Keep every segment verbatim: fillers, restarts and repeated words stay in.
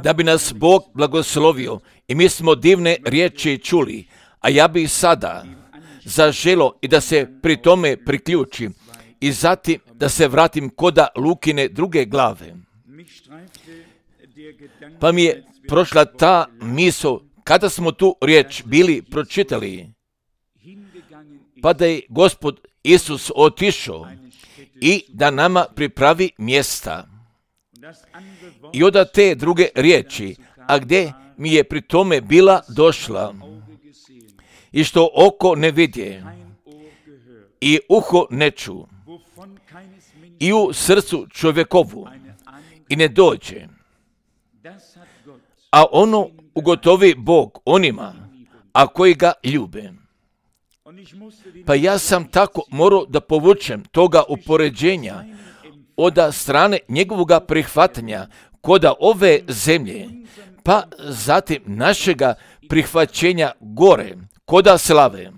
Da bi nas Bog blagoslovio i mi smo divne riječi čuli, a ja bih sada zaželo i da se pri tome priključim i zatim da se vratim koda Lukine druge glave. Pa mi je prošla ta misao kada smo tu riječ bili pročitali, pa da je Gospod Isus otišao i da nama pripravi mjesta. I onda te druge riječi, a gdje mi je pri tome bila došla, i što oko ne vidje, i uho ne ču, i u srcu čovjekovu, i ne dođe. A ono ugotovi Bog onima, a koji ga ljube. Pa ja sam tako morao da povučem toga upoređenja od strane njegovoga prihvatanja koda ove zemlje, pa zatim našega prihvaćenja gore, koda slave.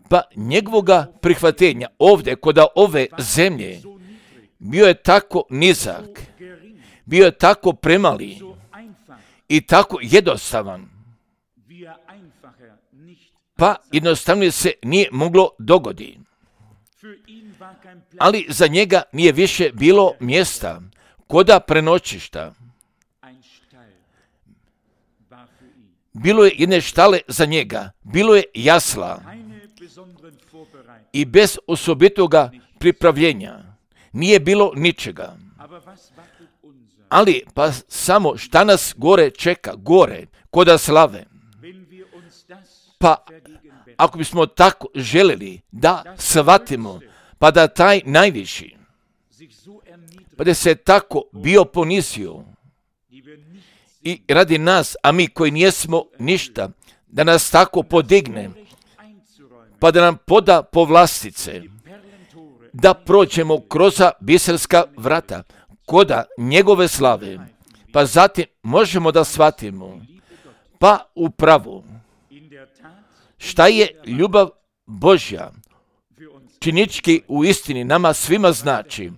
Pa njegovoga prihvatenja ovdje koda ove zemlje bio je tako nizak, bio je tako premali i tako jednostavan, pa jednostavno se nije moglo dogoditi. Ali za njega nije više bilo mjesta, koda prenoćišta. Bilo je jedne štale za njega, bilo je jasla i bez osobitoga pripravljenja nije bilo ničega. Ali pa samo šta nas gore čeka, gore, koda slave. Pa ako bismo tako željeli da shvatimo, pa da taj najviši, pa da se tako bio ponizio i radi nas, a mi koji nijesmo ništa, da nas tako podigne, pa da nam poda povlastice, da prođemo kroz biserska vrata, koda njegove slave, pa zatim možemo da shvatimo, pa upravo, šta je ljubav Božja, činički u istini nama svima znači,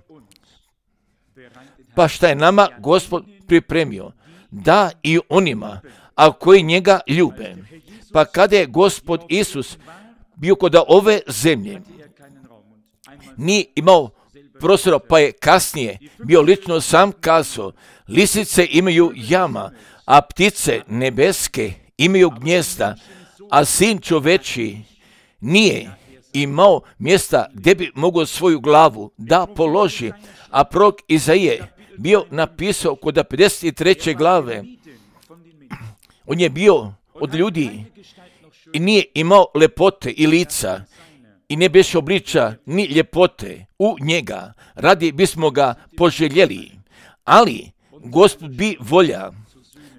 pa šta je nama Gospod pripremio, da i onima, a koji njega ljube. Pa kada je Gospod Isus bio kod ove zemlje, nije imao prostora, pa je kasnije bio lično sam kazao, lisice imaju jama, a ptice nebeske imaju gnjezda, a sin čoveči nije imao mjesta gdje bi mogao svoju glavu da položi, a prorok Izaije bio napisao kod pedeset treće glave, on je bio od ljudi i nije imao lepote i lica i ne beše obliča ni ljepote u njega, radi bismo ga poželjeli, ali Gospod bi volja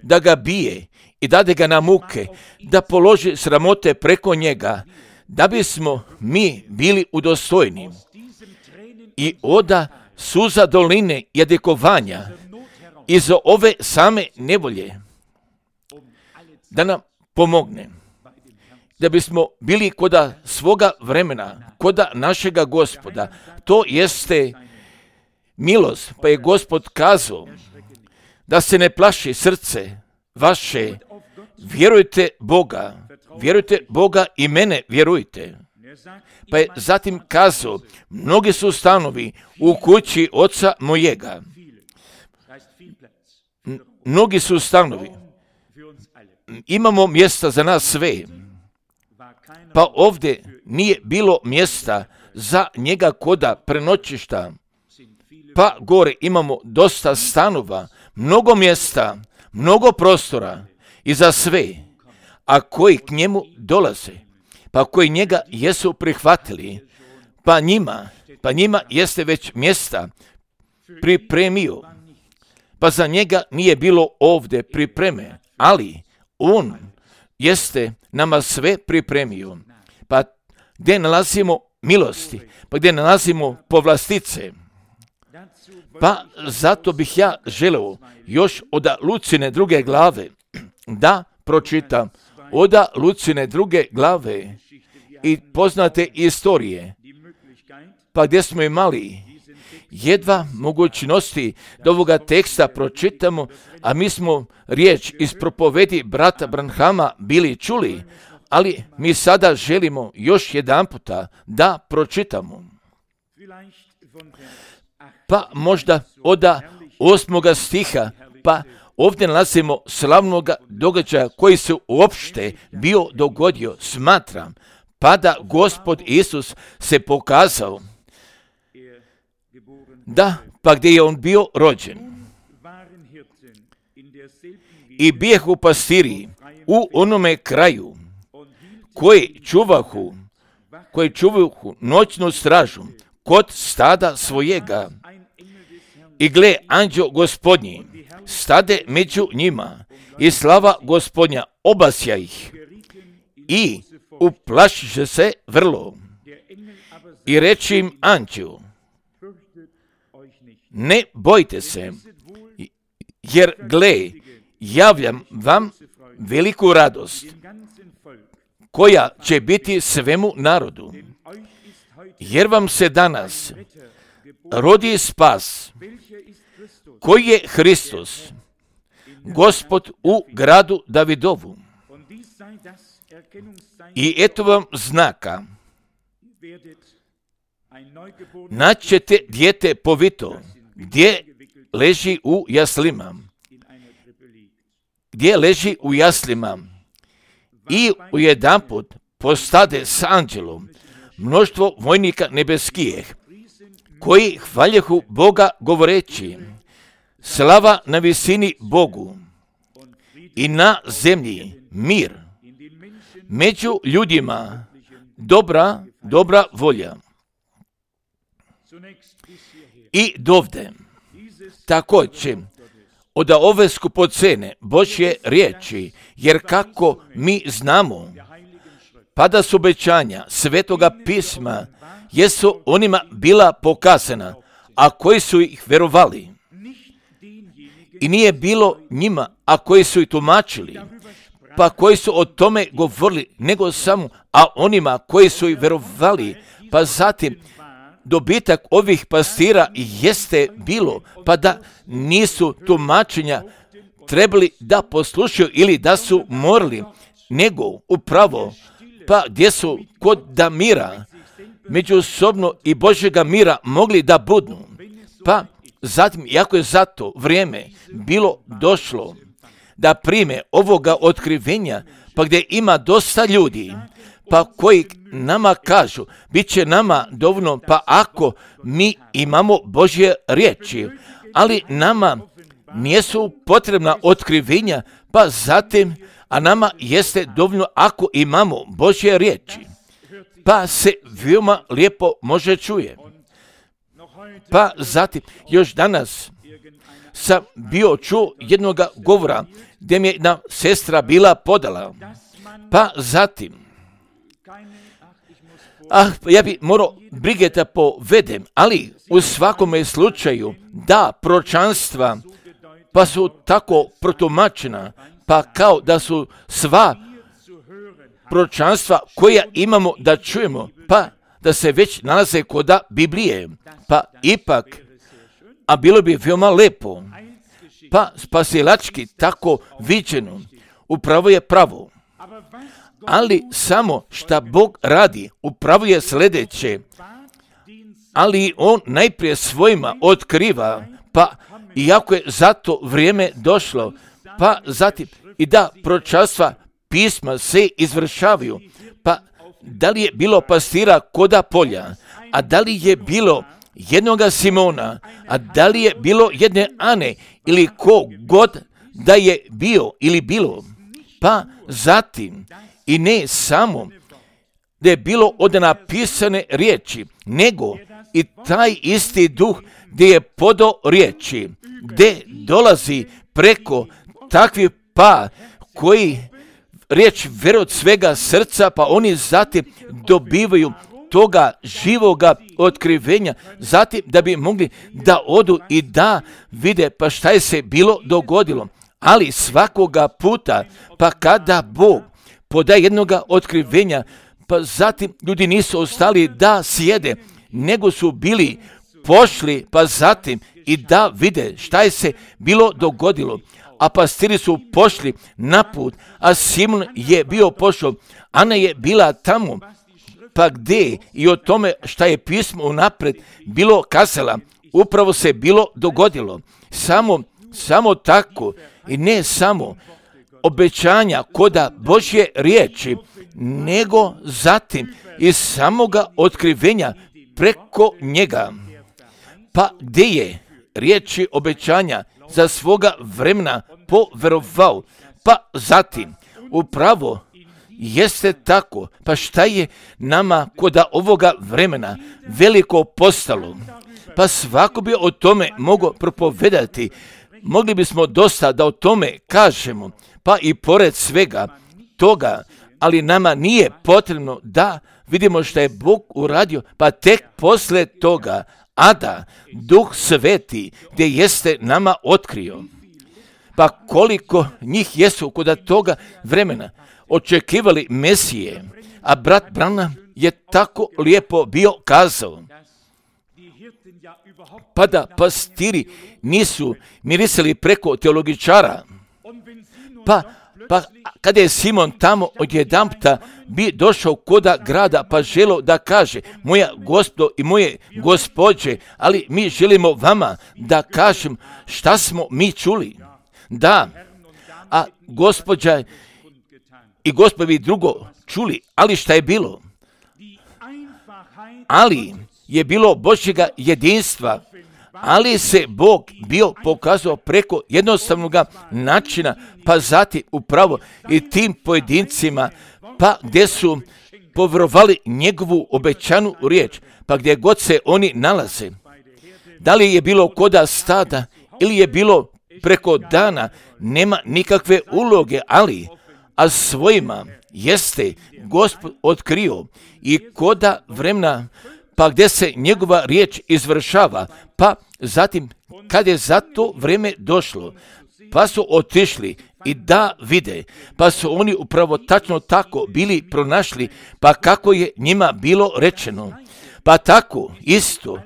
da ga bije i dade ga na muke, da položi sramote preko njega, da bismo mi bili udostojni. I oda suza doline jadikovanja iz ove same nevolje, da nam pomogne, da bismo bili koda svoga vremena, koda našega Gospoda. To jeste milost, pa je Gospod kazao da se ne plaši srce vaše, vjerujte Boga, vjerujte Boga i mene vjerujte. Pa je zatim kazao, mnogi su stanovi u kući oca mojega. Mnogi su stanovi. Imamo mjesta za nas sve. Pa ovdje nije bilo mjesta za njega koda prenoćišta. Pa gore imamo dosta stanova, mnogo mjesta, mnogo prostora i za sve, a koji k njemu dolaze, pa koji njega jesu prihvatili, pa njima, pa njima jeste već mjesta pripremio. Pa za njega nije bilo ovdje pripreme, ali on jeste nama sve pripremio. Pa gdje nalazimo milosti, pa gdje nalazimo povlastice. Pa zato bih ja želeo još od Lucine druge glave da pročitam, od Lucine druge glave i poznate istorije, pa gdje smo imali jedva mogućnosti da ovoga teksta pročitamo, a mi smo riječ iz propovedi brata Branhama bili čuli, ali mi sada želimo još jedan puta da pročitamo. Pa možda od osmoga stiha, pa ovdje nalazimo slavnog događaja koji se uopšte bio dogodio. Smatram, pa da Gospod Isus se pokazao, da, pa gdje je on bio rođen. I bijehu pastiri u onome kraju, koji čuvahu, koji čuvahu noćnu stražu kod stada svojega. I gle, anđeo Gospodnji stade među njima i slava Gospodnja obasja ih i uplašiše se vrlo. I reči im anđeo, ne bojte se, jer gle, javljam vam veliku radost, koja će biti svemu narodu, jer vam se danas rodi spas, koji je Hristos, Gospod u gradu Davidovu. I eto vam znaka, naćete dijete povito, gdje leži u jaslima, gdje leži u jaslima, i ujedanput postade s anđelom mnoštvo vojnika nebeskijih, koji hvaljehu Boga govoreći, slava na visini Bogu i na zemlji mir, među ljudima dobra, dobra volja. I dovde, također, od ove skupocene Božje riječi, jer kako mi znamo, pa da su obećanja Svetoga pisma, jesu onima bila pokazana, a koji su ih verovali. I nije bilo njima, a koji su ih tumačili, pa koji su o tome govorili, nego samo, a onima koji su ih verovali. Pa zatim, dobitak ovih pastira jeste bilo, pa da nisu tumačenja trebali da poslušaju ili da su morali, nego upravo, pa gdje su kod da mira, međusobno i Božjega mira mogli da budu. Pa zatim, jako je zato vrijeme bilo došlo da prime ovoga otkrivenja, pa gdje ima dosta ljudi, pa koji nama kažu, bit će nama dovoljno, pa ako mi imamo Božje riječi, ali nama nisu potrebna otkrivenja, pa zatim, a nama jeste dovoljno ako imamo Božje riječi, pa se veoma lijepo može čuje. Pa zatim, još danas sam bio čuo jednog govora gdje mi je jedna sestra bila podala, pa zatim, ah, ja bi morao brige da povedem, ali u svakome slučaju da proročanstva pa su tako protumačena, pa kao da su sva proročanstva koja imamo da čujemo, pa da se već nalaze kod Biblije, pa ipak, a bilo bi veoma lepo, pa spasilački tako viđeno, upravo je pravo. Ali samo šta Bog radi, upravo je sljedeće, ali on najprije svojima otkriva, pa iako je zato vrijeme došlo, pa zatim i da proročanstva pisma se izvršavaju, pa da li je bilo pastira koda polja, a da li je bilo jednoga Simona, a da li je bilo jedne Ane, ili ko god da je bio ili bilo, pa zatim i ne samo da je bilo od napisane riječi, nego i taj isti duh gdje je podao riječi, gdje dolazi preko takvih pa koji riječ vjeruju od svega srca, pa oni zatim dobivaju toga živoga otkrivenja, zatim da bi mogli da odu i da vide pa šta je se bilo dogodilo. Ali svakoga puta, pa kada Bog podaje jednoga otkrivenja, pa zatim ljudi nisu ostali da sjede, nego su bili pošli, pa zatim i da vide šta je se bilo dogodilo. A pastiri su pošli na put, a Simon je bio pošao, Ana je bila tamo. Pa gdje i o tome šta je pismo unaprijed bilo kazala, upravo se bilo dogodilo. Samo, samo tako i ne samo obećanja koda Božje riječi, nego zatim iz samoga otkrivenja preko njega. Pa gdje je riječi obećanja za svoga vremena poverovao, pa zatim upravo jeste tako, pa šta je nama koda ovoga vremena veliko postalo? Pa svako bi o tome mogao propovedati. Mogli bismo dosta da o tome kažemo, pa i pored svega toga, ali nama nije potrebno da vidimo što je Bog uradio, pa tek posle toga, a da Duh Sveti gdje jeste nama otkrio. Pa koliko njih jesu kod toga vremena očekivali Mesije, a brat Branham je tako lijepo bio kazao. Pa da pastiri nisu mirisali preko teologičara, pa, pa kada je Simon tamo odjedanputa bi došao koda grada, pa želo da kaže, moja gospodo i moje gospođe, ali mi želimo vama da kažem šta smo mi čuli. Da, a gospođa i gospodi drugo čuli, ali šta je bilo? Ali je bilo Božjega jedinstva, ali se Bog bio pokazao preko jednostavnog načina, pa zatim upravo i tim pojedincima, pa gdje su povjerovali njegovu obećanu riječ, pa gdje god se oni nalaze. Da li je bilo koda stada ili je bilo preko dana, nema nikakve uloge, ali a svojima jeste Gospod otkrio i koda vremena, pa gdje se njegova riječ izvršava, pa zatim kad je za to vrijeme došlo, pa su otišli i da vide, pa su oni upravo tačno tako bili pronašli, pa kako je njima bilo rečeno. Pa tako isto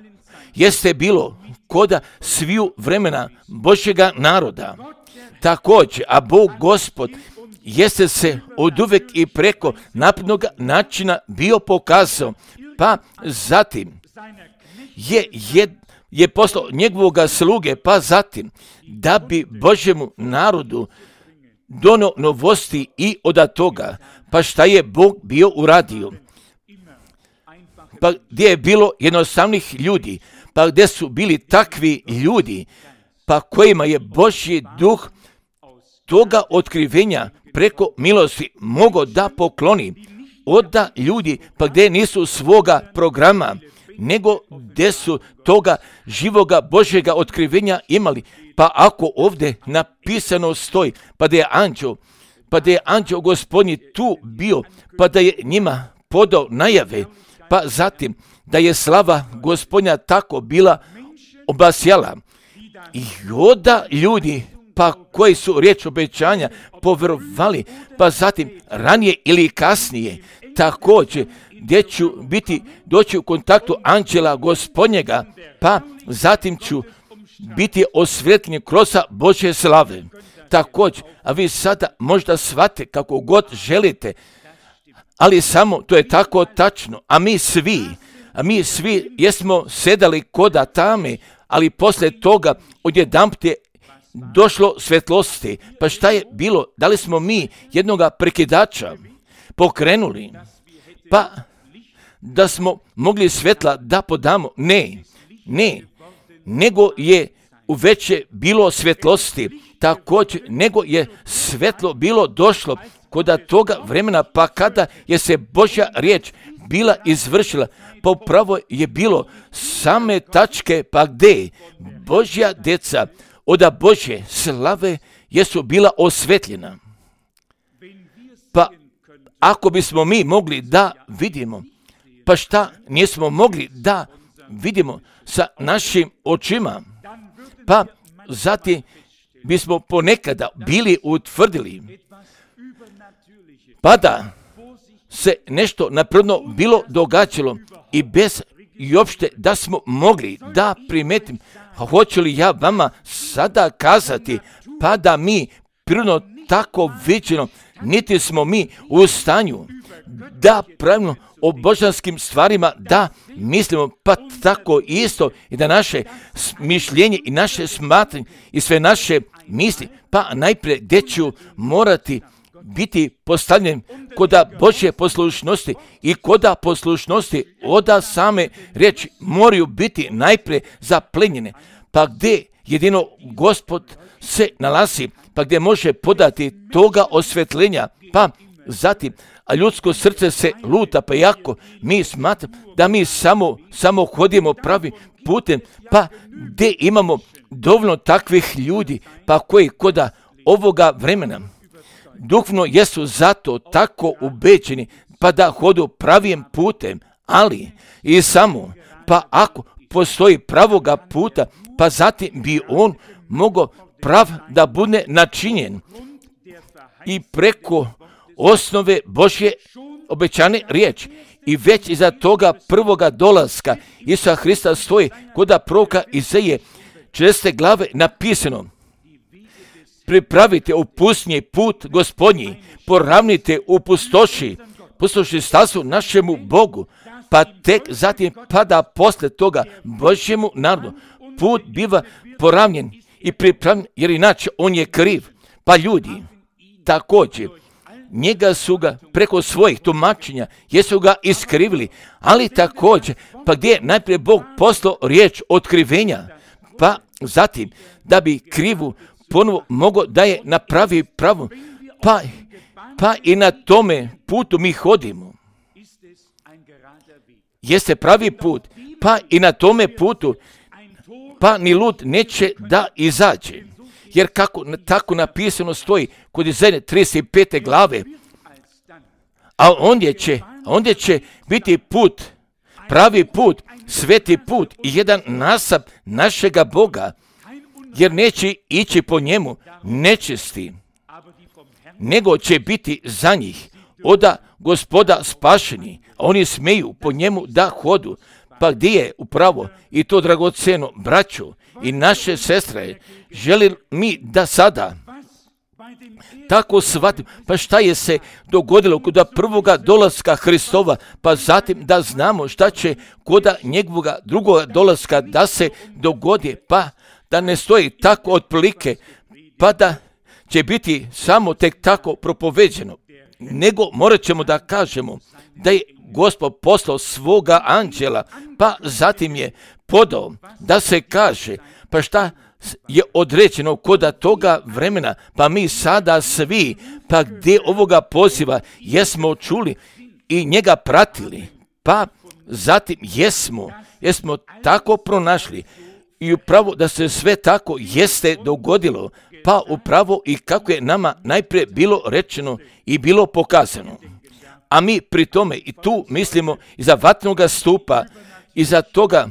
jeste bilo koda sviju vremena Božjega naroda. Također, a Bog Gospod jeste se od uvek i preko naprednog načina bio pokazao, pa zatim je, je, je poslao njegovoga sluge, pa zatim da bi Božjemu narodu donio novosti i od toga, pa šta je Bog bio uradio. Pa gdje je bilo jednostavnih ljudi, pa gdje su bili takvi ljudi, pa kojima je Božji duh toga otkrivenja preko milosti mogao da pokloni, oda ljudi, pa gdje nisu svoga programa, nego gdje su toga živoga Božjega otkrivenja imali. Pa ako ovdje napisano stoji, pa da je anđeo, pa da je anđeo Gospodnji tu bio, pa da je njima podao najave, pa zatim da je slava Gospodnja tako bila obasjala. I oda ljudi, pa koji su riječ obećanja povjerovali, pa zatim ranije ili kasnije, također gdje ću biti, doći u kontaktu anđela Gospodnjega, pa zatim ću biti osvjetljen kroz Božje slave. Također, a vi sada možda shvate kako god želite, ali samo to je tako tačno, a mi svi, a mi svi jesmo sedali koda tame, ali poslije toga odjedanput je došlo svjetlosti. Pa šta je bilo? Da li smo mi jednoga prekidača pokrenuli? Pa da smo mogli svjetla da podamo? Ne, ne, nego je u veće bilo svjetlosti, također nego je svjetlo bilo došlo koda toga vremena, pa kada je se Božja riječ bila izvršila, pa upravo je bilo same tačke, pa gdje Božja djeca oda Božje slave jesu bila osvetljena. Pa ako bismo mi mogli da vidimo, pa šta nismo mogli da vidimo sa našim očima, pa zatim bismo ponekada bili utvrdili, pa da se nešto napredno bilo događalo i bez i uopšte da smo mogli da primetim, hoću li ja vama sada kazati, pa da mi prirodno tako viđeno, niti smo mi u stanju da pravilno o božanskim stvarima da mislimo, pa tako isto i da naše mišljenje i naše smatranje i sve naše misli, pa najprije gdje ću morati biti postavljen koda Božje poslušnosti i koda poslušnosti oda same riječi moraju biti najprije zaplenjene, pa gdje jedino Gospod se nalazi, pa gdje može podati toga osvetljenja, pa zatim, a ljudsko srce se luta, pa jako mi smatramo da mi samo, samo hodimo pravim putem, pa gdje imamo dovoljno takvih ljudi, pa koji koda ovoga vremena duhovno jesu zato tako ubeđeni, pa da hodu pravim putem, ali i samo, pa ako postoji pravoga puta, pa zatim bi on mogao prav da bude načinjen i preko osnove Božje obećane riječi. I već iza toga prvoga dolaska Isusa Hrista stoji koda proroka Izaije četrnaeste glave napisano: pripravite u pustinji put Gospodnji, poravnite u pustoši, pustoši stazu našemu Bogu, pa tek zatim pada posle toga Božjemu narodu. Put biva poravnjen i pripravljen, jer inače on je kriv. Pa ljudi također njega su ga preko svojih tumačenja jesu ga iskrivili, ali također pa gdje je najprije Bog poslao riječ otkrivenja, pa zatim da bi krivu ponovo mogao da je napravi pravu, pa, pa i na tome putu mi hodimo. Jeste pravi put, pa i na tome putu, pa ni lud neće da izađe. Jer kako tako napisano stoji kod Izaije trideset pete glave, a ondje će, ondje će biti put, pravi put, sveti put i jedan nasab našega Boga, jer neće ići po njemu nečisti, nego će biti za njih oda Gospoda spašeni, a oni smeju po njemu da hodu. Pa gdje je upravo i to dragoceno, braćo i naše sestre, želi mi da sada tako shvatimo, pa šta je se dogodilo kod prvoga dolaska Hristova, pa zatim da znamo šta će kod njegovoga drugoga dolaska da se dogodi, pa da ne stoji tako otprilike, pa da će biti samo tek tako propoveđeno, nego morat ćemo da kažemo da je Gospod poslao svoga anđela, pa zatim je podao da se kaže, pa šta je određeno koda toga vremena, pa mi sada svi, pa gdje ovoga poziva jesmo čuli i njega pratili, pa zatim jesmo, jesmo tako pronašli i upravo da se sve tako jeste dogodilo, pa upravo i kako je nama najprije bilo rečeno i bilo pokazano. A mi pri tome i tu mislimo iza vatnoga stupa, iza toga,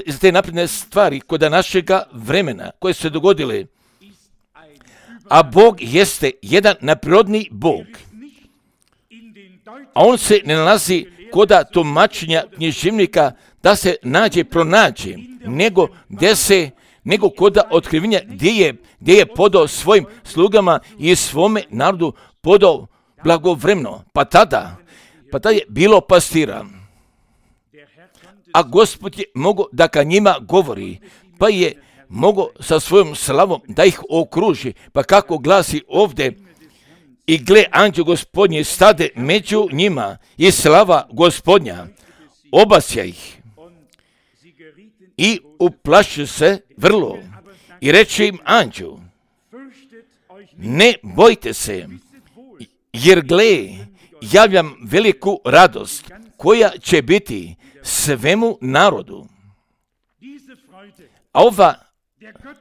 iza te napredne stvari koda našega vremena koje su se dogodile. A Bog jeste jedan naprirodni Bog. A on se ne nalazi koda tumačenja književnika da se nađe, pronađe, nego gdje se, nego koda otkrivenja gdje je, gdje je podao svojim slugama i svome narodu podao blagovremeno, pa tada, pa tada je bilo pastira. A Gospod je mogao da ka njima govori, pa je mogao sa svojom slavom da ih okruži, pa kako glasi ovdje, i gle, anđeo Gospodnji stade među njima i slava Gospodnja obasja ih. I uplaši se vrlo i reče im anđeo: ne bojte se, jer gle, javljam veliku radost koja će biti svemu narodu. A ova,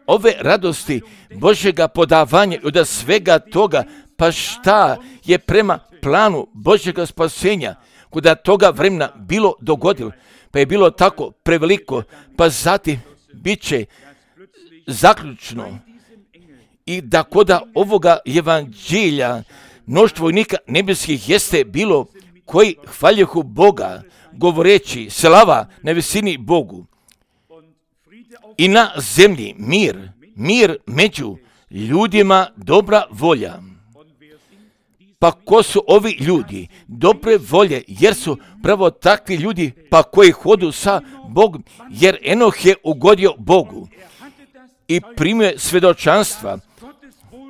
ove radosti Božjega podavanja i od svega toga, pa šta je prema planu Božjega spasenja kuda toga vremena bilo dogodilo, pa je bilo tako preveliko, pa zatim bit će zaključno i da koda ovoga evanđelja mnoštvo vojnika nebeskih jeste bilo koji hvaljehu Boga, govoreći slava na visini Bogu i na zemlji mir, mir među ljudima, dobra volja. Pa ko su ovi ljudi? Dobre volje, jer su pravo takvi ljudi, pa koji hodu sa Bogom, jer Enoh je ugodio Bogu i primio svjedočanstva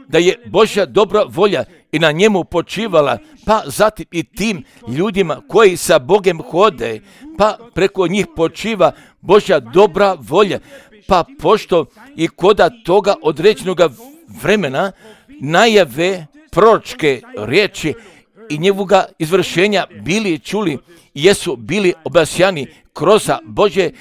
da je Božja dobra volja i na njemu počivala, pa zatim i tim ljudima koji sa Bogem hode, pa preko njih počiva Božja dobra volja, pa pošto i koda toga određenog vremena najave proročke riječi i njegovoga izvršenja bili čuli, jesu bili obasjani kroz Božje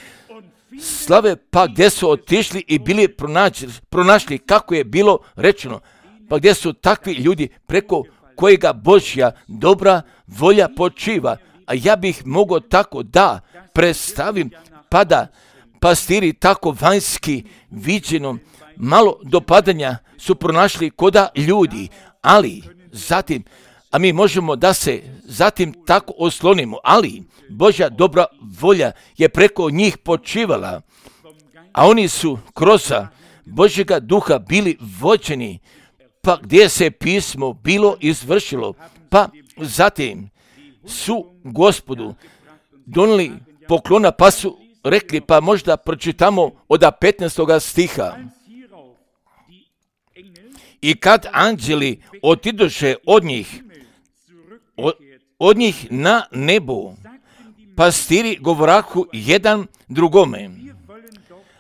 slave, pa gdje su otišli i bili pronašli, pronašli kako je bilo rečeno, pa gdje su takvi ljudi preko kojega Božja dobra volja počiva. A ja bih mogao tako da predstavim, pa da pastiri tako vanjski viđenom malo dopadanja su pronašli koda ljudi, ali zatim, a mi možemo da se zatim tako oslonimo, ali Božja dobra volja je preko njih počivala, a oni su kroz Božjega duha bili vođeni, pa gdje se pismo bilo izvršilo, pa zatim su Gospodu donijeli poklona, pa su rekli, pa možda pročitamo od petnaestoga stiha. I kad anđeli otidoše od njih, od, od njih na nebu, pastiri govorahu jedan drugome,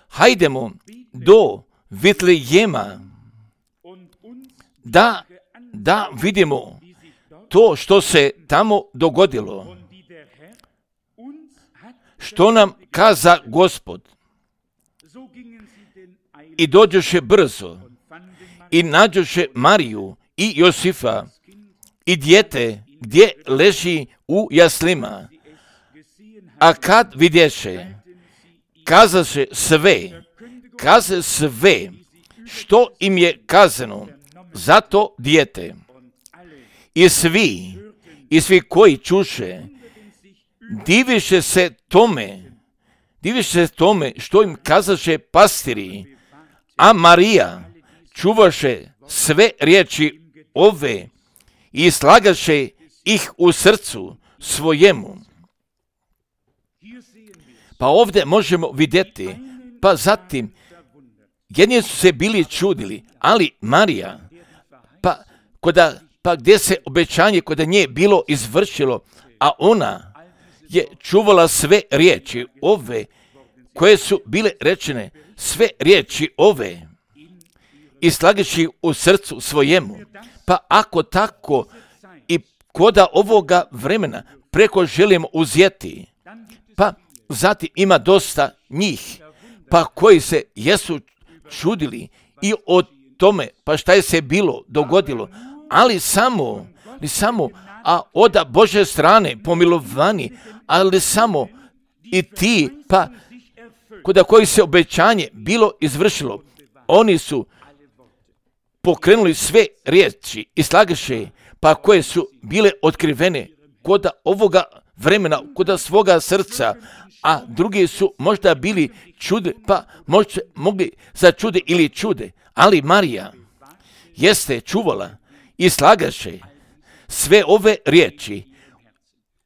hajdemo do Vitlejema, da, da vidimo to što se tamo dogodilo, što nam kaza Gospod. I dođoše brzo i nađoše Mariju i Josifa i dijete gdje leži u jaslima. A kad vidješe, kazaše sve, kaze sve što im je kazano za to dijete. I svi, i svi koji čuše, diviše se tome, diviše se tome što im kazaše pastiri, a Marija čuvaše sve riječi ove i slagaše ih u srcu svojemu. Pa ovdje možemo vidjeti, pa zatim, jedni su se bili čudili, ali Marija, pa, koda, pa gdje se obećanje kod nje bilo izvršilo, a ona je čuvala sve riječi ove koje su bile rečene, sve riječi ove i slagaši u srcu svojemu. Pa ako tako i koda ovoga vremena preko želimo uzeti, pa zatim ima dosta njih, pa koji se jesu čudili i o tome, pa šta je se bilo dogodilo, ali samo, ali samo, a od Božje strane pomilovani, ali samo i ti, pa kod koji se obećanje bilo izvršilo, oni su pokrenuli sve riječi i slagaše, pa koje su bile otkrivene kod ovoga vremena, kod svoga srca, a drugi su možda bili čude, pa možda mogli začude ili čude, ali Marija jeste čuvala i slagaše sve ove riječi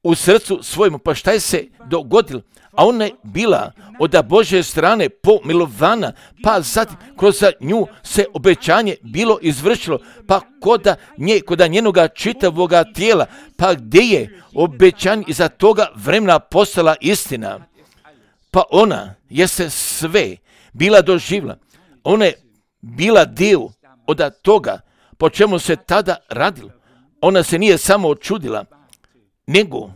u srcu svojemu. Pa šta je se dogodilo? A ona je bila od Božje strane pomilovana, pa zatim kroz nju se obećanje bilo izvršilo, pa koda nje, koda njenoga čitavoga tijela, pa gdje je obećanje iza toga vremena postala istina. Pa ona je se sve bila doživjela. Ona je bila dio od toga po čemu se tada radilo. Ona se nije samo čudila, nego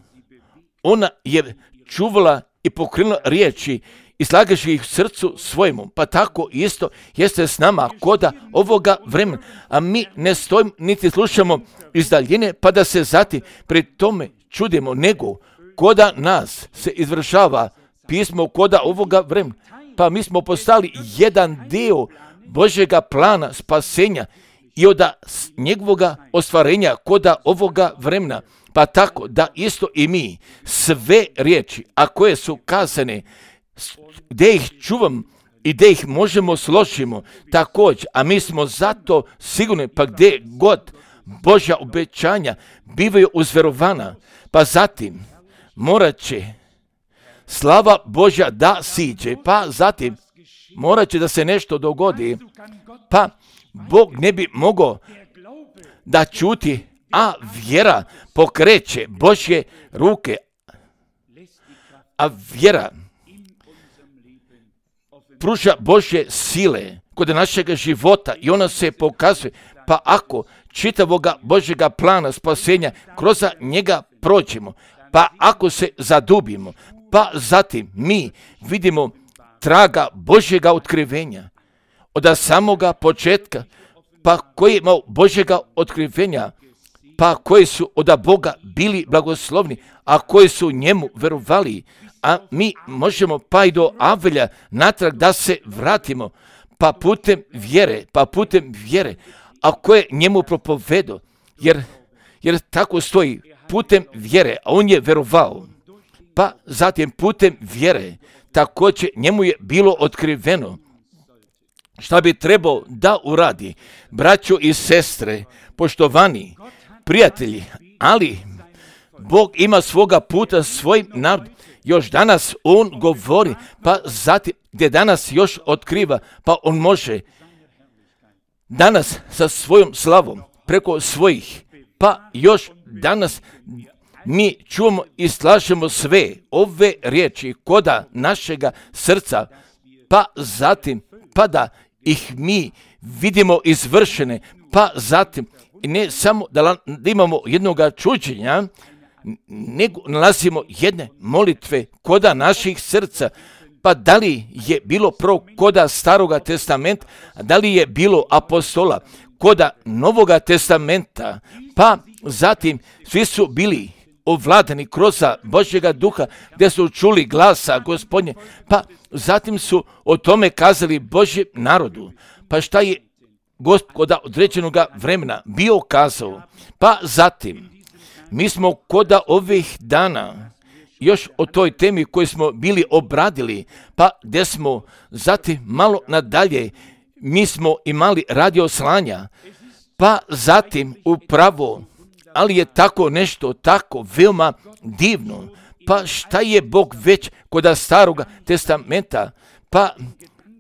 ona je čuvala i pokrenula riječi i slagaši ih srcu svojemu. Pa tako isto jeste s nama koda ovoga vremena. A mi ne stojimo niti slušamo iz daljine pa da se zatim pri tome čudimo, nego koda nas se izvršava pismo koda ovoga vremena. Pa mi smo postali jedan dio Božjega plana spasenja i od njegovoga ostvarenja koda ovoga vremena, pa tako da isto i mi sve riječi, a koje su kazane, gdje ih čuvam i gdje ih možemo složimo također, a mi smo zato sigurni, pa gdje god Božja obećanja bivaju uzverovana, pa zatim morat će slava Božja da siđe, pa zatim morat će da se nešto dogodi, pa Bog ne bi mogao da čuti, a vjera pokreće Božje ruke, a vjera pruža Božje sile kod našega života i ona se pokazuje, pa ako čitavoga Božjega plana spasenja kroz njega prođemo, pa ako se zadubimo, pa zatim mi vidimo traga Božjega otkrivenja od samoga početka, pa koji je imao Božjega otkrivenja, pa koji su od Boga bili blagoslovni, a koji su njemu verovali, a mi možemo pa i do Avelja natrag da se vratimo, pa putem vjere, pa putem vjere, a koje njemu propovedo, jer, jer tako stoji, putem vjere, a on je verovao, pa zatim putem vjere, također njemu je bilo otkriveno šta bi trebao da uradi. Braćo i sestre, poštovani prijatelji, ali Bog ima svoga puta svojim narodom. Još danas on govori, pa zatim gdje danas još otkriva, pa on može danas sa svojom slavom preko svojih, pa još danas mi čujemo i slažemo sve ove riječi koda našega srca, pa zatim pa da ih mi vidimo izvršene, pa zatim ne samo da imamo jednoga čuđenja, nego nalazimo jedne molitve koda naših srca, pa da li je bilo prvo koda Staroga testamenta, da li je bilo apostola koda Novoga testamenta, pa zatim svi su bili ovladani kroz Božjega duha, gdje su čuli glasa Gospodnje, pa zatim su o tome kazali Božjem narodu. Pa šta je Gospod određenog vremena bio kazao? Pa zatim, mi smo koda ovih dana još o toj temi koju smo bili obradili, pa gdje smo zatim malo nadalje, mi smo imali radio slanja, pa zatim upravo, ali je tako nešto tako veoma divno. Pa šta je Bog već koda Staroga testamenta, pa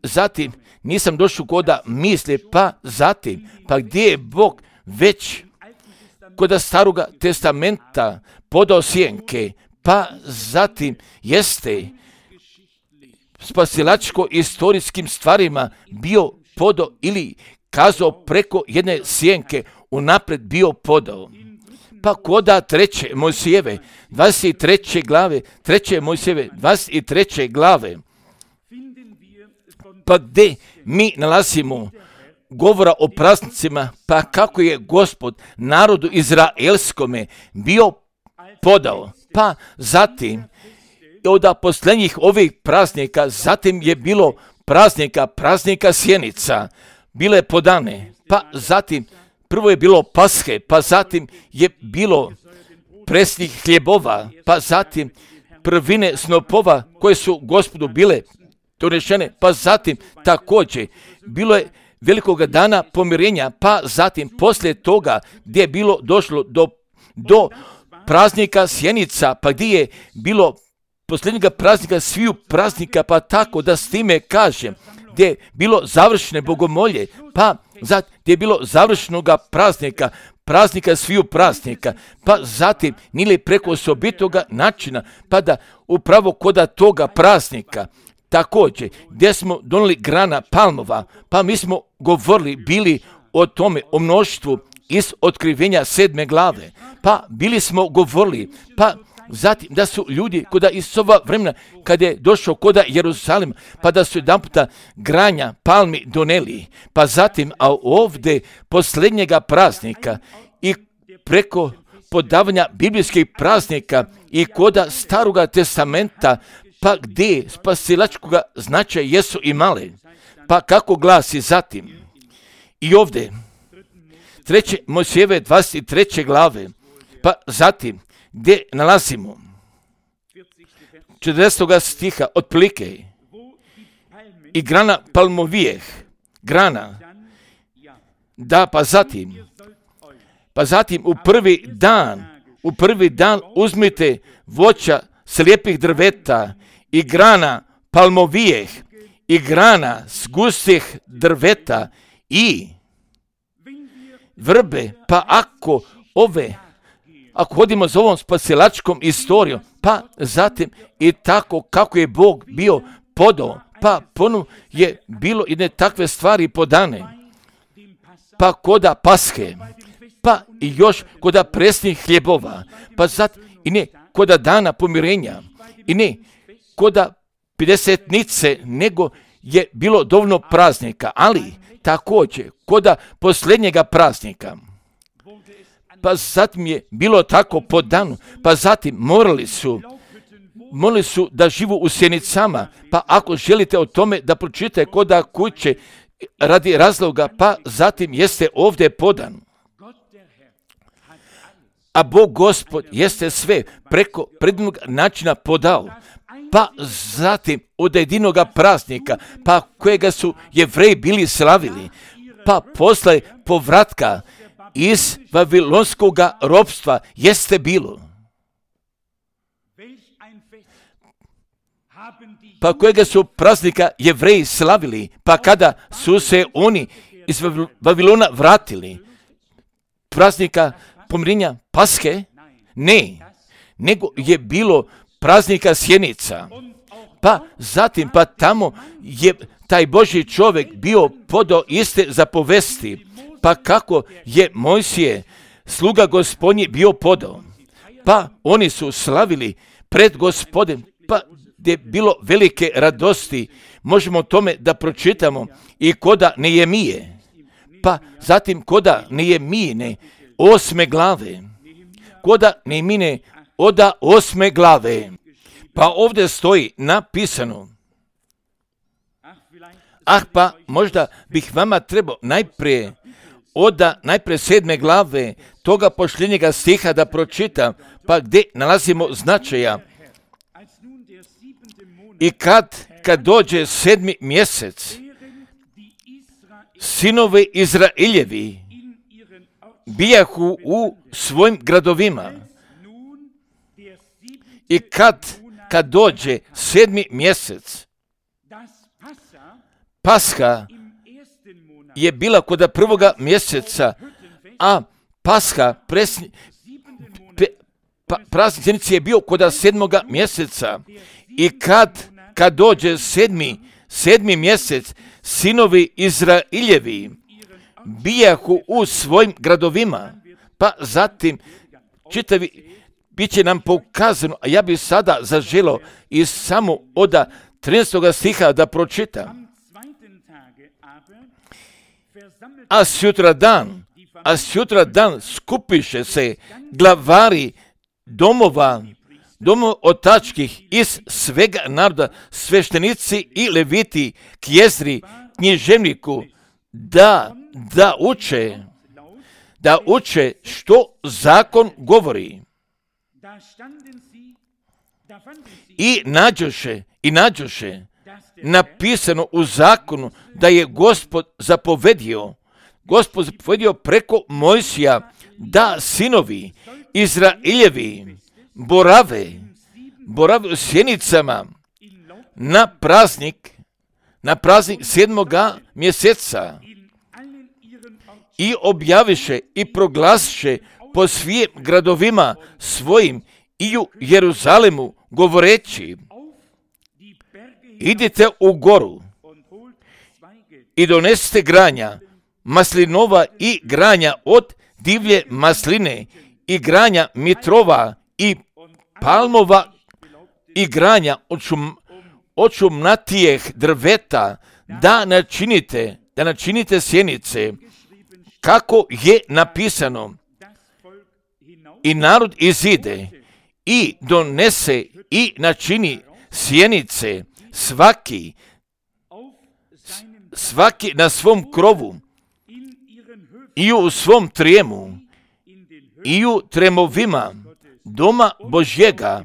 zatim nisam došao koda misli, pa zatim, pa gdje je Bog već koda Staroga testamenta podao sjenke, pa zatim jeste spasilačko istorijskim stvarima bio podao ili kazao preko jedne sjenke unapred bio podao. Pa koda treće Mojsijeve, dvadeset treće glave, treće Mojsijeve, dvadeset treće glave, pa gdje mi nalazimo govora o praznicima, pa kako je Gospod narodu izraelskome bio podao, pa zatim od posljednjih ovih praznika, zatim je bilo praznika, praznika sjenica, bile podane, pa zatim prvo je bilo Pashe, pa zatim je bilo presnih hljebova, pa zatim prvine snopova koje su Gospodu bile donešene, pa zatim također bilo je velikoga dana pomirenja, pa zatim poslije toga gdje je bilo došlo do, do praznika sjenica, pa gdje je bilo posljednjega praznika sviju praznika, pa tako da s time kažem, gdje je bilo završene bogomolje, pa zatim gdje je bilo završenoga praznika, praznika sviju praznika, pa zatim nili preko osobitoga načina, pa da upravo koda toga praznika, također gdje smo donijeli grana palmova, pa mi smo govorili, bili o tome, o mnoštvu iz otkrivenja sedme glave, pa bili smo govorili, pa zatim da su ljudi koda iz ova vremena kad je došao koda Jerusalima, pa da su jedan puta granja palmi doneli, pa zatim a ovdje posljednjega praznika i preko podavanja biblijskih praznika i koda Staroga testamenta, pa gdje spasilačkoga značaja jesu imale, pa kako glasi zatim i ovdje treće Mojsijeve dvadeset treće glave, pa zatim gdje nalazimo četrdesetog stiha otprilike i grana palmovijeh, grana, da pa zatim, pa zatim u prvi dan, u prvi dan uzmite voća slijepih drveta i grana palmovijeh i grana s gustih drveta i vrbe, pa ako ove, ako hodimo za ovom spasilačkom istorijom, pa zatim i tako kako je Bog bio podao, pa ponovno je bilo jedne takve stvari podane, pa koda Paske, pa i još koda presnih hljebova, pa zatim i ne koda dana pomirenja, i ne koda pedesetnice, nego je bilo dovoljno praznika, ali također koda posljednjega praznika. Pa zatim je bilo tako po danu, pa zatim morali su, morali su da živu u sjenicama, pa ako želite o tome da pročitate koda kuće radi razloga, pa zatim jeste ovdje podan. A Bog Gospod jeste sve preko predivnog načina podao, pa zatim od jedinoga praznika, pa kojega su Jevreji bili slavili, pa posle povratka iz Vavilonskog ropstva jeste bilo. Pa kojega su praznika Jevreji slavili, pa kada su se oni iz Vavilona vratili, praznika pomirenja Paske? Ne, nego je bilo praznika sjenica. Pa zatim, pa tamo je taj Božji čovjek bio podao iste zapovesti, pa kako je Mojsije, sluga Gospodnji, bio podao. Pa oni su slavili pred Gospodem, pa gdje je bilo velike radosti. Možemo o tome da pročitamo i koda Nehemije. Pa zatim koda Nehemijine osme glave. Koda Nehemijine oda osme glave. Pa ovdje stoji napisano. Ah, pa možda bih vama trebao najprije oda najprije sedme glave toga posljednjega stiha da pročitam, pa gdje nalazimo značaja. I kad, kad dođe sedmi mjesec, sinovi Izraeljevi bijahu u svojim gradovima. I kad, kad dođe sedmi mjesec, Pasha je bila kod prvoga mjeseca, a Pasha presni, pe, pa, praznik sjenice je bio kod sedmoga mjeseca. I kad, kad dođe sedmi, sedmi mjesec, sinovi Izraeljevi bijahu u svojim gradovima, pa zatim čitavi, bit će nam pokazano, a ja bih sada zaželio iz samo oda trinaestog stiha da pročitam. A sutra dan, a sutra dan skupiše se glavari domova, domova otačkih iz svega naroda, sveštenici i leviti, kjezri, književniku, da, da uče, da uče što zakon govori. I nađoše, i nađoše napisano u zakonu da je Gospod zapovedio, Gospod zapovedio preko Mojsija da sinovi Izraeljevi borave, borave u sjenicama na praznik, na praznik sedmoga mjeseca i objaviše i proglasiše po svim gradovima svojim i u Jeruzalemu govoreći: idite u goru i donesite granja maslinova i granja od divlje masline i granja mitrova i palmova i granja od, šum, od šumnatijeh drveta, da načinite, da načinite sjenice, kako je napisano. I narod izide i donese i načini sjenice, svaki, svaki na svom krovu i u svom trijemu, i u tremovima doma Božjega,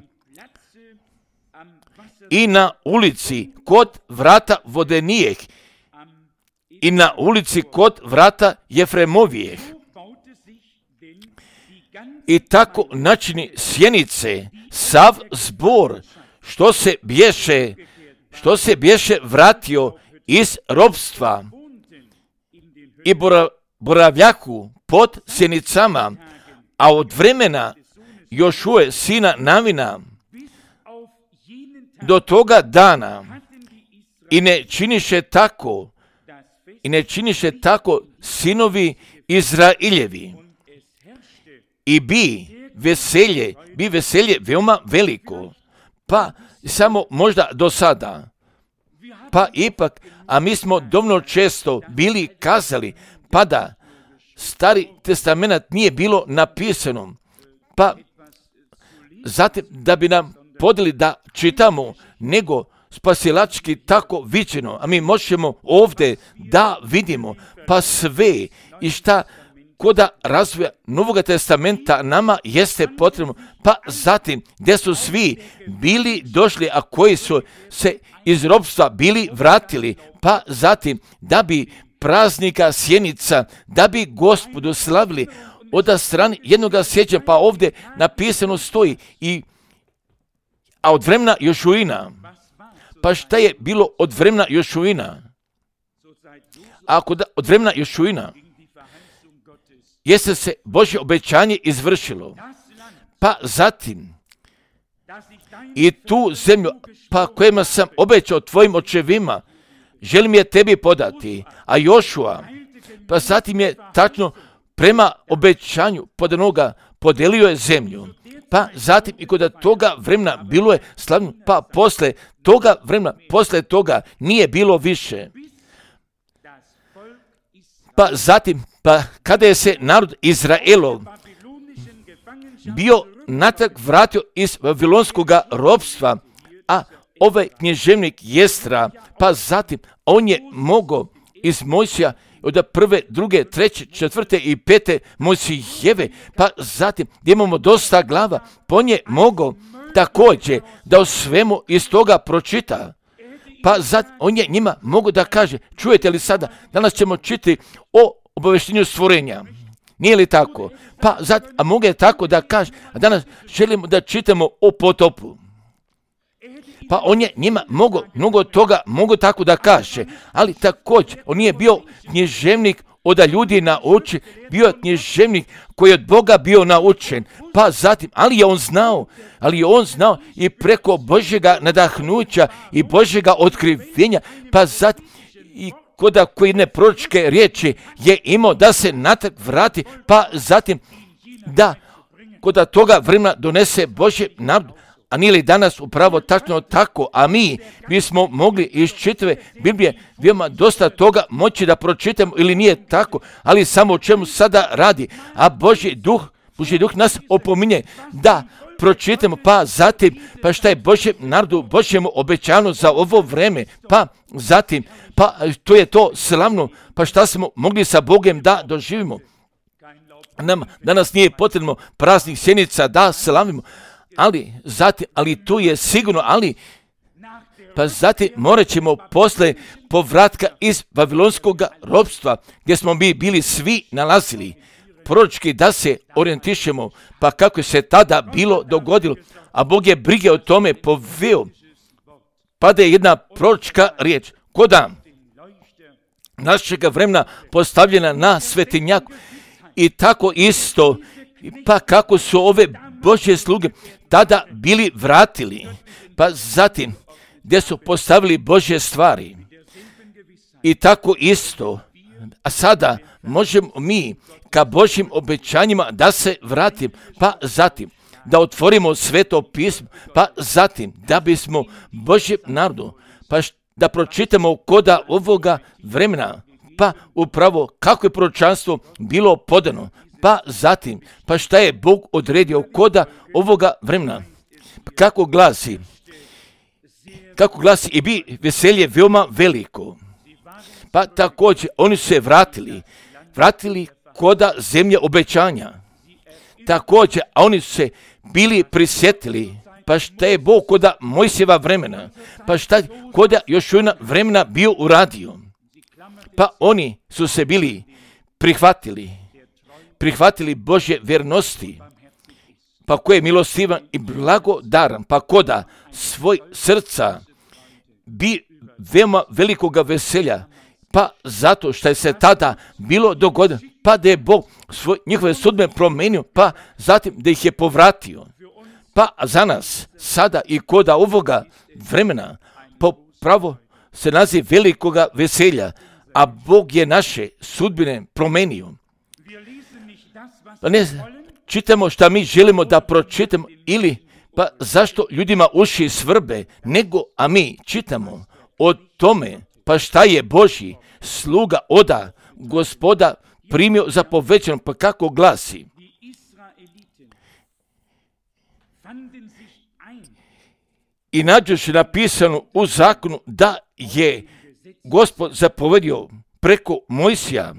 i na ulici kod vrata Vodenijeh, i na ulici kod vrata Jefremovijeh. I tako načini sjenice sav zbor što se bješe, što se bješe vratio iz ropstva i bora, boravljaku pod sjenicama, a od vremena Jošue sina Navina do toga dana i ne činiše tako, i ne činiše tako sinovi Izrailjevi. I bi veselje, bi veselje veoma veliko, pa samo možda do sada, pa ipak, a mi smo dovoljno često bili kazali, pa da Stari testament nije bilo napisano, pa zatim da bi nam podeli da čitamo, nego spasilački tako viđeno, a mi možemo ovdje da vidimo, pa sve i šta koda razvoja Novog testamenta nama jeste potrebno, pa zatim gdje su svi bili došli, a koji su se iz ropstva bili vratili, pa zatim da bi praznika sjenica, da bi Gospodu slavili od strane jednoga sjećanja, pa ovdje napisano stoji, i, a od vremena Jošuina. Pa šta je bilo od vremena Jošuina? Ako da, od vremena Jošuina jeste se Božje obećanje izvršilo, pa zatim i tu zemlju, pa kojima sam obećao tvojim očevima, želim je tebi podati, a Jošua, pa zatim je tačno prema obećanju podanoga podelio je zemlju, pa zatim i kod toga vremena bilo je slavno, pa posle toga vremena, posle toga nije bilo više. Pa zatim, pa kada je se narod Izraelov bio natrag vratio iz Vavilonskog ropstva, a ovaj knježevnik Jestra, pa zatim on je mogao iz Mojsija od prve, druge, treće, četvrte i pete Mojsijeve, pa zatim gdje imamo dosta glava, pa on je mogao također da o svemu iz toga pročita. Pa zatim on je njima mogao da kaže, čujete li sada, danas ćemo čitati o obavještenju stvorenja. Nije li tako? Pa zatim, a mogu je tako da kaže, a danas želimo da čitamo o potopu. Pa on je njima mogo, mnogo toga mogu tako da kaže, ali također on nije bio knježevnik od ljudi naučen, bio je knježevnik koji je od Boga bio naučen, pa zatim, ali je on znao, ali je on znao i preko Božjega nadahnuća i Božjega otkrivenja, pa zatim i koda koji ne proročke riječi je imao da se natrag vrati, pa zatim da koda toga vremena donese Božje narodu. A nije li danas upravo tačno tako, a mi bismo mogli iz čitave Biblije veoma dosta toga moći da pročitamo ili nije tako, ali samo o čemu sada radi, a Božji duh, Božji duh nas opominje da pročitamo, pa zatim, pa šta je Božjem narodu, Božjemu obećano za ovo vreme, pa zatim, pa to je to slavno, pa šta smo mogli sa Bogom da doživimo. Nam danas nije potrebno praznih sjenica da slavimo, ali zatim, ali tu je sigurno, ali pa zatim morat ćemo posle povratka iz Vavilonskog ropstva, gdje smo mi bili svi nalazili, proročki da se orijentišemo, pa kako se tada bilo dogodilo, a Bog je brige o tome poveo, pa da je jedna proročka riječ, koda našega vremena postavljena na svetinjaku, i tako isto, pa kako su ove Božje sluge tada bili vratili, pa zatim gdje su postavili Božje stvari. I tako isto, a sada možemo mi ka Božjim obećanjima da se vratim, pa zatim da otvorimo Sveto pismo, pa zatim da bismo Božjem narodu, pa da pročitamo koda ovoga vremena, pa upravo kako je proročanstvo bilo podano, pa zatim, pa šta je Bog odredio koda ovoga vremena. Kako glasi, kako glasi i bi veselje veoma veliko. Pa također oni su se vratili vratili koda zemlje obećanja. Također, a oni su se bili prisjetili, pa šta je Bog koda Mojsijeva vremena, pa šta koda još jedna vremena bio uradio. Pa oni su se bili prihvatili, prihvatili Božje vjernosti, pa ko je milostivan i blagodaran, pa koda svoj srca bi veoma velikoga veselja, pa zato što je se tada bilo dogodilo, pa da je Bog svoj, njihove sudbe promenio, pa zatim da ih je povratio. Pa za nas sada i koda ovoga vremena popravo se naziv velikoga veselja, a Bog je naše sudbine promenio. Pa ne čitamo šta mi želimo da pročitamo ili pa zašto ljudima uši svrbe, nego a mi čitamo o tome pa šta je Božji sluga oda Gospoda primio za povećano, pa kako glasi. I nađoše napisano u zakonu da je Gospod zapovedio preko Mojsija,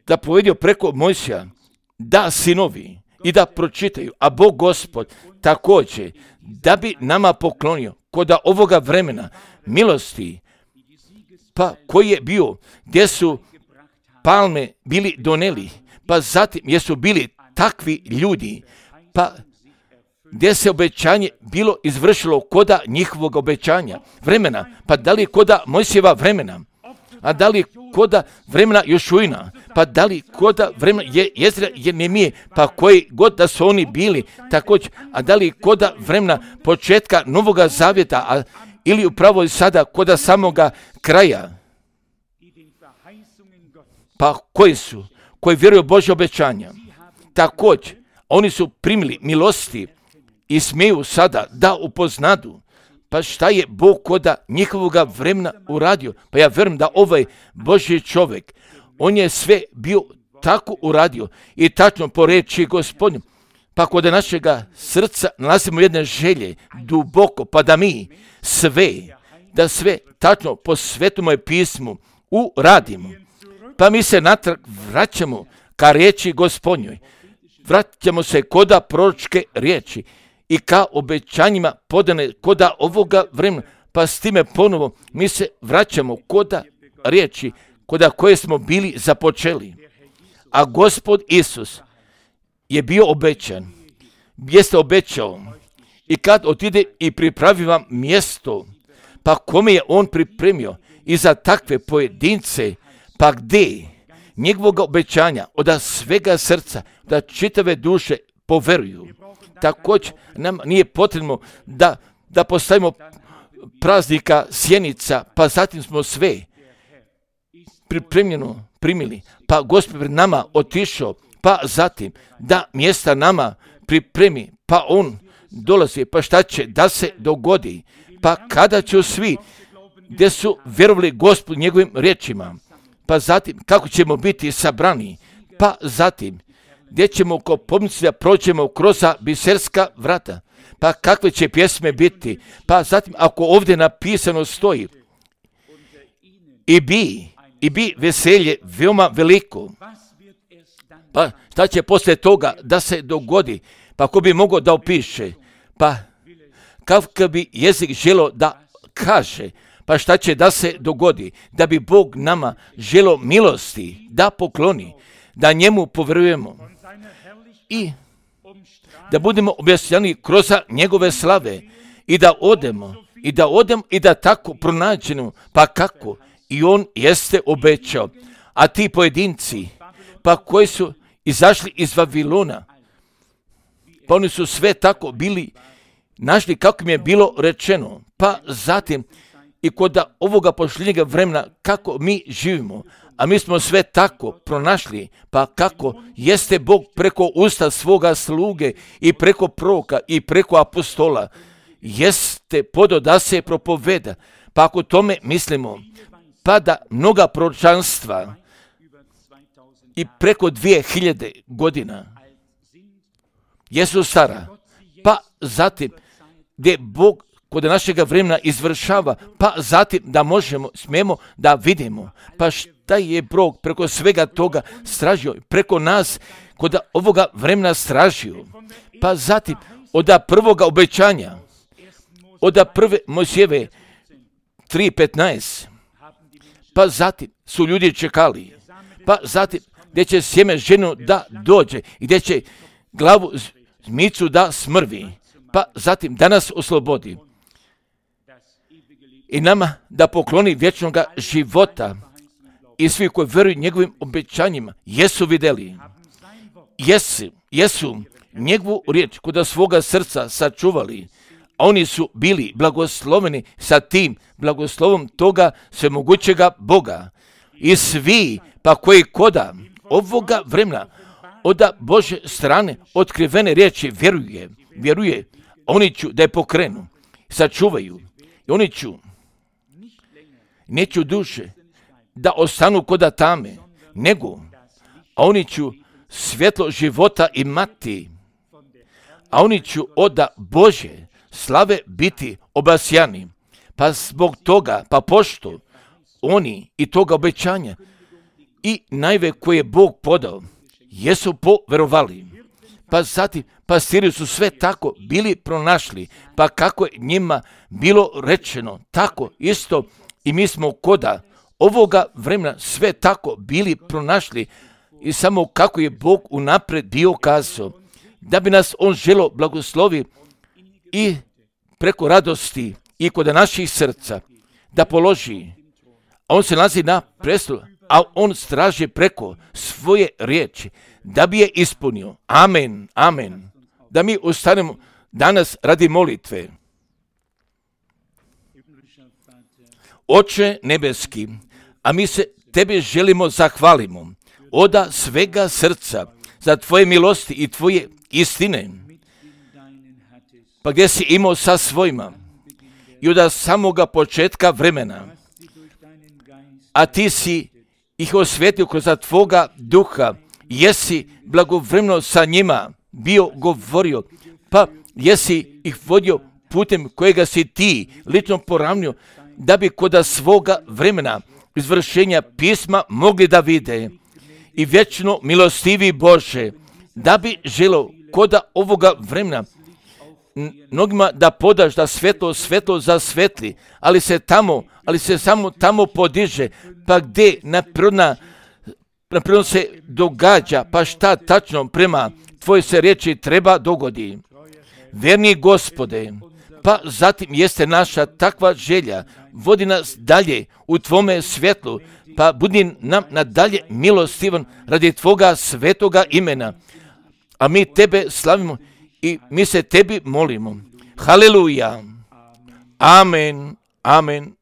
da povedio preko Mojsija, da sinovi i da pročitaju, a Bog Gospod također da bi nama poklonio koda ovoga vremena milosti, pa koji je bio, gdje su palme bili doneli, pa zatim jesu bili takvi ljudi, pa gdje se obećanje bilo izvršilo koda njihovog obećanja vremena, pa da li koda Mojsijeva vremena, a da li koda vremena Jošuina, pa da li koda vremena je Jezra Jeremije, pa koji god da su oni bili također, a da li koda vremena početka Novoga Zavjeta, a, ili upravo i sada koda samoga kraja, pa koji su, koji vjeruju Božje obećanja, također oni su primili milosti i smiju sada da upoznadu, pa šta je Bog koda njihovoga vremena uradio. Pa ja vjerujem da ovaj Božji čovjek, on je sve bio tako uradio i tačno po reči Gospodnju. Pa kod našega srca nalazimo jedne želje duboko, pa da mi sve, da sve tačno po Svetom pismu uradimo. Pa mi se natrag vraćamo ka riječi Gospodnjoj. Vraćamo se koda proročke riječi i ka obećanjima podane koda ovoga vremena, pa s time ponovo mi se vraćamo koda riječi, koda koje smo bili započeli. A Gospod Isus je bio obećan, jeste obećao i kad otide i pripravi vam mjesto, pa kome je on pripremio i za takve pojedince, pa gdje njegovog obećanja od svega srca, da čitave duše poveruju. Također nam nije potrebno da, da postavimo praznika sjenica, pa zatim smo sve pripremljeno primili, pa Gospod pred nama otišao, pa zatim da mjesta nama pripremi, pa on dolazi, pa šta će da se dogodi, pa kada će svi gdje su vjerovali Gospodu njegovim riječima, pa zatim kako ćemo biti sabrani, pa zatim gdje ćemo ko pomnici da prođemo kroz biserska vrata, pa kakve će pjesme biti, pa zatim ako ovdje napisano stoji i bi, i bi veselje veoma veliko, pa šta će poslije toga da se dogodi, pa ko bi mogao da opiše, pa kakav bi jezik želo da kaže, pa šta će da se dogodi, da bi Bog nama želo milosti da pokloni, da njemu povjerujemo i da budemo objasnjeni kroz njegove slave i da odemo i da odemo i da tako pronađemo, pa kako i on jeste obećao. A ti pojedinci, pa koji su izašli iz Vavilona, pa oni su sve tako bili našli kako im je bilo rečeno, pa zatim i kod ovoga posljednjega vremena kako mi živimo, a mi smo sve tako pronašli, pa kako jeste Bog preko usta svoga sluge i preko proroka i preko apostola, jeste podo da se propoveda, pa ako tome mislimo, pa da mnoga proročanstva i preko dvije hiljade godina jesu stara, pa zatim gdje Bog kod našega vremena izvršava, pa zatim da možemo, smijemo da vidimo, pa da je Bog preko svega toga stražio, preko nas kod ovoga vremena stražio. Pa zatim, od prvoga obećanja, od prve Mojsijeve tri petnaest, pa zatim su ljudi čekali, pa zatim gdje će sjeme ženu da dođe i gdje će glavu zmicu da smrvi, pa zatim da nas oslobodi i nama da pokloni vječnoga života. I svi koji vjeruju njegovim obećanjima jesu vidjeli, jesu, jesu njegovu riječ kod svoga srca sačuvali, a oni su bili blagosloveni sa tim blagoslovom toga svemogućega Boga. I svi pa koji koda ovoga vremena od Bože strane otkrivene riječi vjeruje, vjeruje, oni ću da je pokrenu, sačuvaju i oni ću, neću duše da ostanu koda tame, nego, a oni ću svjetlo života imati, a oni ću od Bože slave biti obasjani. Pa zbog toga, pa pošto oni i toga obećanja i najve koje je Bog podao, jesu poverovali. Pa zatim pastiri su sve tako bili pronašli, pa kako je njima bilo rečeno, tako isto i mi smo koda ovoga vremena sve tako bili pronašli i samo kako je Bog unaprijed bio kazao, da bi nas on želo blagoslovi i preko radosti i kod naših srca da položi, a on se nalazi na prestolu, a on straži preko svoje riječi da bi je ispunio. Amen, amen. Da mi ustanemo danas radi molitve. Oče nebeski, a mi se Tebe želimo zahvalimo od svega srca za Tvoje milosti i Tvoje istine, pa gdje si imao sa svojima i od samoga početka vremena, a Ti si ih osvetio kroz Tvoga duha, jesi blagovremeno sa njima bio govorio, pa jesi ih vodio putem kojega si Ti lično poravnio, da bi kod svoga vremena izvršenja pisma mogli da vide. I vječno milostivi Bože, da bi želo kod ovoga vremena mnogima da podaš da svetlo svetlo zasvetli, ali se tamo, ali se samo tamo podiže, pa gdje naprirodna naprirodno se događa, pa šta tačno prema Tvoje se riječi treba dogodi. Verni Gospode, pa zatim jeste naša takva želja, vodi nas dalje u Tvome svjetlu, pa budi nam nadalje milostivan radi Tvoga svetoga imena. A mi Tebe slavimo i mi se Tebi molimo. Haleluja. Amen. Amen.